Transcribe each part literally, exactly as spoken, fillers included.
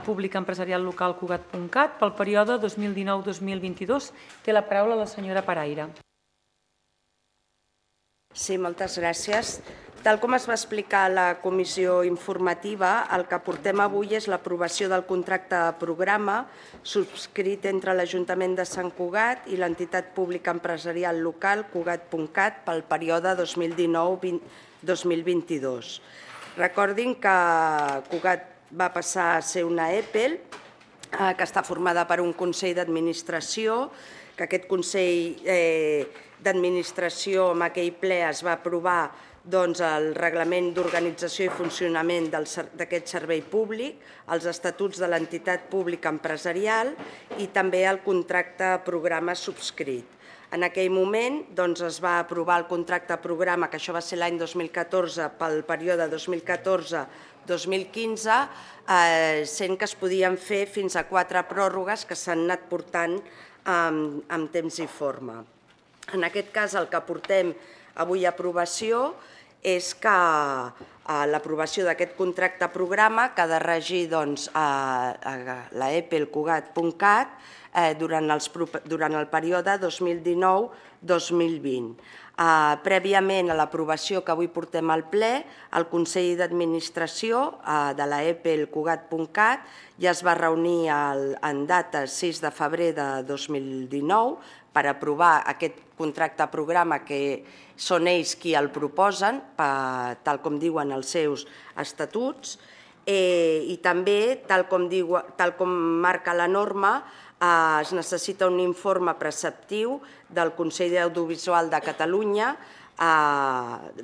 Públic Empresarial Local Cugat punt cat pel període dos mil dinou dos mil vint-i-dos. Té la paraula la senyora Paraire. Sí, moltes gràcies. Tal com es va explicar a la comissió informativa, el que portem avui és l'aprovació del contracte de programa subscrit entre l'Ajuntament de Sant Cugat i l'entitat pública empresarial local Cugat punt cat pel període dos mil dinou dos mil vint-i-dos. Recordin que Cugat va passar a ser una E P E L, que està formada per un Consell d'Administració, que aquest Consell d'Administració en aquell ple es va aprovar el Reglament d'Organització i Funcionament d'aquest servei públic, els estatuts de l'entitat pública empresarial i també el contracte programa subscrit. En aquell moment es va aprovar el contracte programa, que això va ser l'any dos mil catorze, pel període dos mil catorze dos mil quinze, sent que es podien fer fins a quatre pròrrogues que s'han anat portant en temps i forma. En aquest cas, el que portem avui a aprovació és que l'aprovació d'aquest contracte programa que ha de regir la E P E L Cugat punt cat durant el període dos mil dinou dos mil vint. Prèviament a l'aprovació que avui portem al ple, el Consell d'Administració de la E P E L Cugat punt cat ja es va reunir en data sis de febrer de dos mil dinou per aprovar aquest contracte programa que són ells qui el proposen, tal com diuen els seus estatuts, i també, tal com marca la norma, es necessita un informe preceptiu del Consell Audiovisual de Catalunya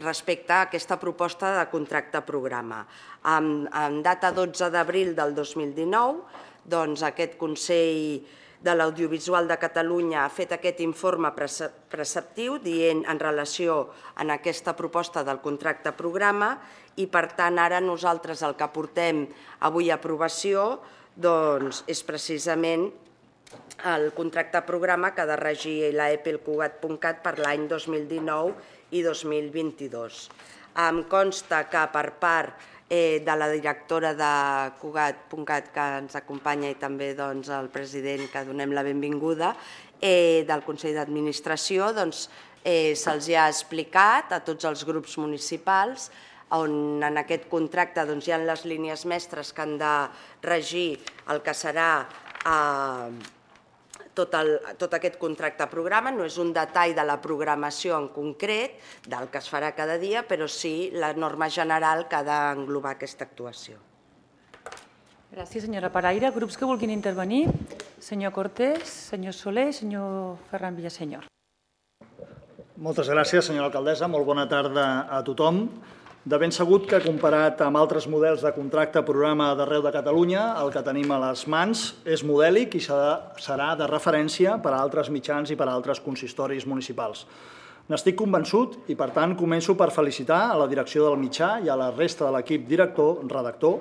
respecte a aquesta proposta de contracte programa. En data dotze d'abril del dos mil dinou, aquest Consell de l'Audiovisual de Catalunya ha fet aquest informe preceptiu dient en relació amb aquesta proposta del contracte programa i, per tant, ara nosaltres el que portem avui a aprovació és precisament el contracte programa que ha de regir la E P E L Cugat punt cat per l'any dos mil dinou i dos mil vint-i-dos. Em consta que per part de la directora de Cugat punt cat que ens acompanya i també el president, que donem la benvinguda, del Consell d'Administració, se'ls ha explicat a tots els grups municipals on en aquest contracte hi ha les línies mestres que han de regir el que serà tot aquest contracte programa. No és un detall de la programació en concret, del que es farà cada dia, però sí la norma general que ha d'englobar aquesta actuació. Gràcies, senyora Paraire. Grups que vulguin intervenir? Senyor Cortés, senyor Soler, senyor Ferran Villasenyor. Moltes gràcies, senyora alcaldessa. Molt bona tarda a tothom. De ben segut que, comparat amb altres models de contracte programa d'arreu de Catalunya, el que tenim a les mans és modèlic i serà de referència per a altres mitjans i per a altres consistoris municipals. N'estic convençut i, per tant, començo per felicitar a la direcció del mitjà i a la resta de l'equip director, redactor,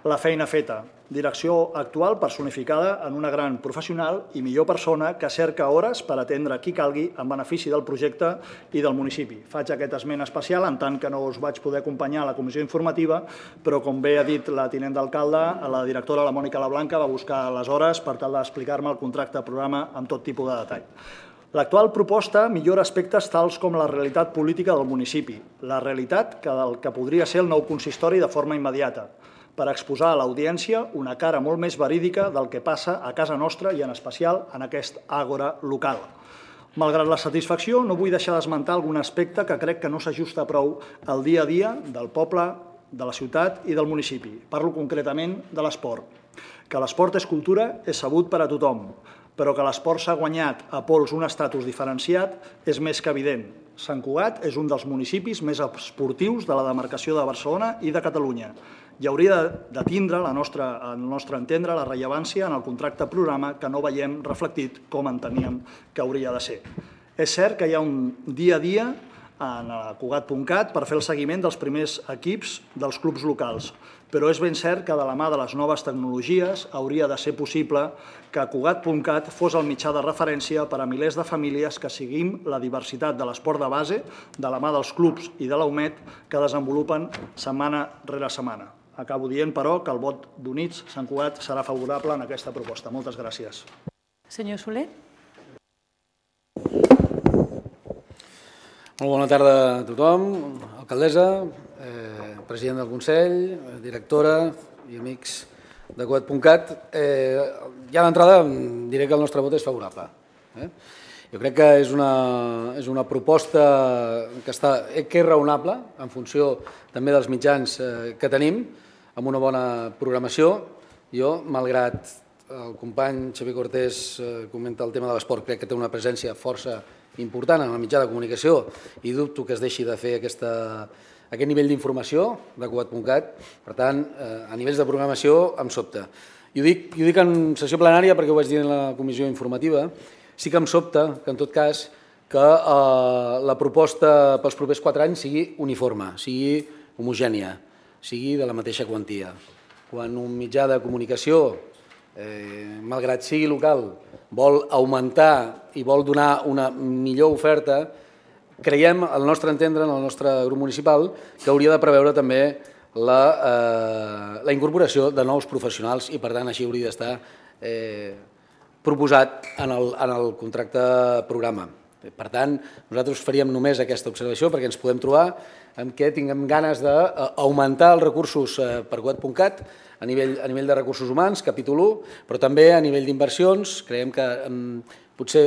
la feina feta. Direcció actual personificada en una gran professional i millor persona que cerca hores per atendre qui calgui en benefici del projecte i del municipi. Faig aquest esment especial en tant que no us vaig poder acompanyar a la comissió informativa, però com bé ha dit la tinent d'alcalde, la directora, la Mònica Lablanca, va buscar les hores per tal d'explicar-me el contracte programa amb tot tipus de detall. L'actual proposta millora aspectes tals com la realitat política del municipi, la realitat del que podria ser el nou consistori de forma immediata, per exposar a l'audiència una cara molt més verídica del que passa a casa nostra i en especial en aquest àgora local. Malgrat la satisfacció, no vull deixar d'esmentar algun aspecte que crec que no s'ajusta prou al dia a dia del poble, de la ciutat i del municipi. Parlo concretament de l'esport. Que l'esport és cultura és sabut per a tothom, però que l'esport s'ha guanyat a pols un estatus diferenciat és més que evident. Sant Cugat és un dels municipis més esportius de la demarcació de Barcelona i de Catalunya i hauria de tindre, al nostre entendre, la rellevància en el contracte programa que no veiem reflectit com enteníem que hauria de ser. És cert que hi ha un dia a dia en Cugat punt cat per fer el seguiment dels primers equips dels clubs locals, però és ben cert que de la mà de les noves tecnologies hauria de ser possible que Cugat punt cat fos el mitjà de referència per a milers de famílies que seguim la diversitat de l'esport de base de la mà dels clubs i de la U M E D que desenvolupen setmana rere setmana. Acabo dient, però, que el vot d'Units Sant Cugat serà favorable en aquesta proposta. Moltes gràcies. Senyor Soler. Molt bona tarda a tothom, alcaldessa, eh, president del Consell, directora i amics de Cugat punt cat. Eh, ja d'entrada diré que el nostre vot és favorable. Eh? Jo crec que és una, és una proposta que, està, que és raonable en funció també dels mitjans eh, que tenim, amb una bona programació. Jo, malgrat el company Xavier Cortés eh, comenta el tema de l'esport, crec que té una presència força important en el mitjà de comunicació i dubto que es deixi de fer aquesta, aquest nivell d'informació de Cugat punt cat. Per tant, eh, a nivells de programació em sobta. I ho dic, i ho dic en sessió plenària perquè ho vaig dir en la comissió informativa. Sí que em sobta que, en tot cas, que eh, la proposta pels propers quatre anys sigui uniforme, sigui homogènia, sigui de la mateixa quantia. Quan un mitjà de comunicació, eh, malgrat sigui local, vol augmentar i vol donar una millor oferta, creiem, al nostre entendre, en el nostre grup municipal, que hauria de preveure també la, eh, la incorporació de nous professionals i, per tant, així hauria d'estar eh, proposat en el, en el contracte programa. Per tant, nosaltres faríem només aquesta observació perquè ens podem trobar amb què tinguem ganes d'augmentar els recursos per Cugat punt cat a nivell, a nivell de recursos humans, capítol u, però també a nivell d'inversions. Creiem que eh, potser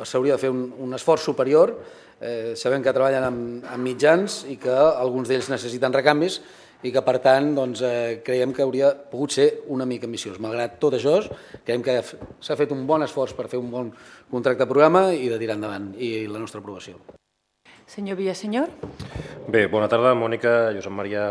s'hauria de fer un, un esforç superior. Eh, sabem que treballen amb, amb mitjans i que alguns d'ells necessiten recanvis i que, per tant, doncs, eh, creiem que hauria pogut ser una mica ambiciós. Malgrat tot això, creiem que s'ha fet un bon esforç per fer un bon contracte programa i de tirar endavant, i la nostra aprovació. Senyor Villasenyor. Bé, bona tarda, Mònica, Josep Maria,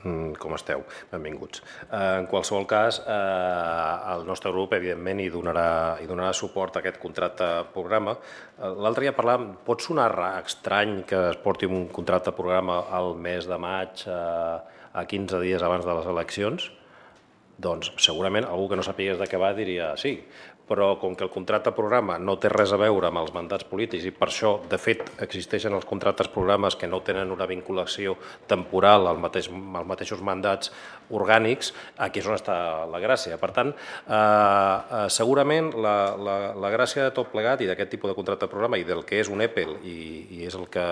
com esteu? Benvinguts. En qualsevol cas, el nostre grup, evidentment, hi donarà, hi donarà suport a aquest contracte programa. L'altre dia parlàvem, pot sonar estrany que es porti un contracte programa al mes de maig a quinze dies abans de les eleccions? Doncs segurament algú que no sapigués de què va diria sí, però com que el contracte programa no té res a veure amb els mandats polítics i per això, de fet, existeixen els contractes programes que no tenen una vinculació temporal als mateix, als mateixos mandats orgànics, aquí és on està la gràcia. Per tant, eh, segurament la, la, la gràcia de tot plegat i d'aquest tipus de contracte programa i del que és un E P E L i, i és el que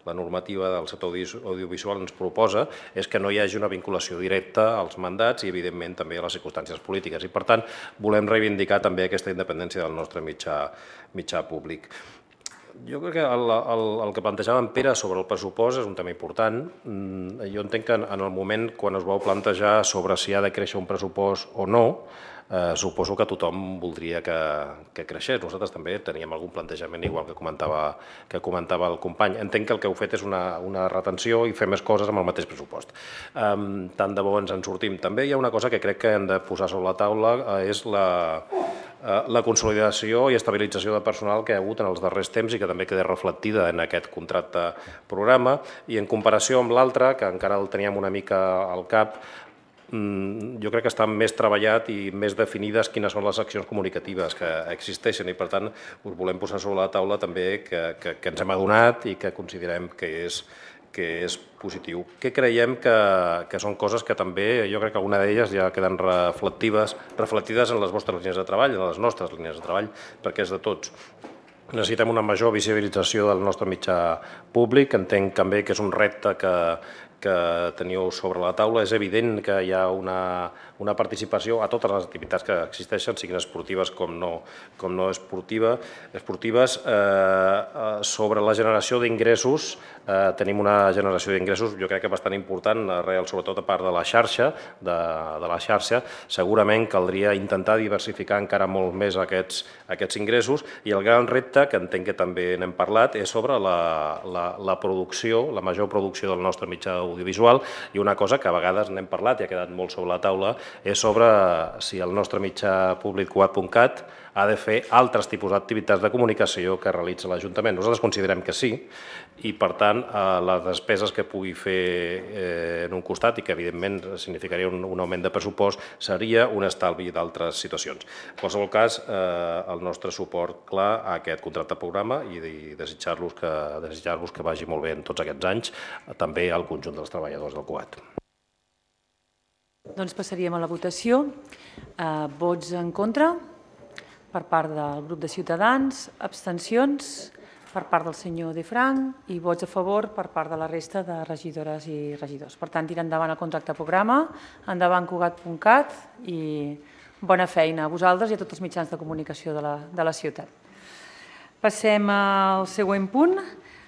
la normativa del sector audiovisual ens proposa, és que no hi hagi una vinculació directa als mandats i, evidentment, també a les circumstàncies polítiques. I, per tant, volem reivindicar també aquesta independència del nostre mitjà, mitjà públic. Jo crec que el, el, el que plantejava en Pere sobre el pressupost és un tema important. Jo entenc que en el moment quan es vau plantejar sobre si ha de créixer un pressupost o no, Eh, suposo que tothom voldria que, que creixés. Nosaltres també teníem algun plantejament igual que comentava, que comentava el company. Entenc que el que heu fet és una, una retenció i fer més coses amb el mateix pressupost. Eh, tant de bo ens en sortim. També hi ha una cosa que crec que hem de posar sobre la taula, eh, és la, eh, la consolidació i estabilització de personal que hi ha hagut en els darrers temps i que també queda reflectida en aquest contracte programa. I en comparació amb l'altre, que encara el teníem una mica al cap, jo crec que està més treballat i més definides quines són les accions comunicatives que existeixen i, per tant, us volem posar sobre la taula també que, que, que ens hem adonat i que considerem que és, que és positiu. Que creiem que, que són coses que també, jo crec que alguna d'elles ja queden reflectives, reflectides en les vostres línies de treball, en les nostres línies de treball, perquè és de tots. Necessitem una major visibilització del nostre mitjà públic. Entenc també que és un repte que, que teniu sobre la taula. És evident que hi ha una, una participació a totes les activitats que existeixen, siguin esportives com no, com no esportiva, esportives. Eh, sobre la generació d'ingressos, eh, tenim una generació d'ingressos, jo crec que bastant important, arrel, sobretot a part de la xarxa, de, de la xarxa. Segurament caldria intentar diversificar encara molt més aquests, aquests ingressos i el gran repte, que entenc que també n'hem parlat, és sobre la, la, la producció, la major producció del nostre mitjà audiovisual, i una cosa que a vegades n'hem parlat i ha quedat molt sobre la taula és sobre si el nostre mitjà públic Cugat punt cat ha de fer altres tipus d'activitats de comunicació que realitza l'Ajuntament. Nosaltres considerem que sí i, per tant, les despeses que pugui fer en un costat i que, evidentment, significaria un, un augment de pressupost seria un estalvi d'altres situacions. En qualsevol cas, el nostre suport clar a aquest contracte programa i desitjar-los que, desitjar-vos que vagi molt bé en tots aquests anys, també al conjunt dels treballadors del Cugat. Doncs passaríem a la votació. Eh, vots en contra per part del grup de Ciutadans, abstencions per part del senyor De Frank i vots a favor per part de la resta de regidores i regidors. Per tant, tira endavant el contracte programa, endavant Cugat punt cat i bona feina a vosaltres i a tots els mitjans de comunicació de la, de la ciutat. Passem al següent punt.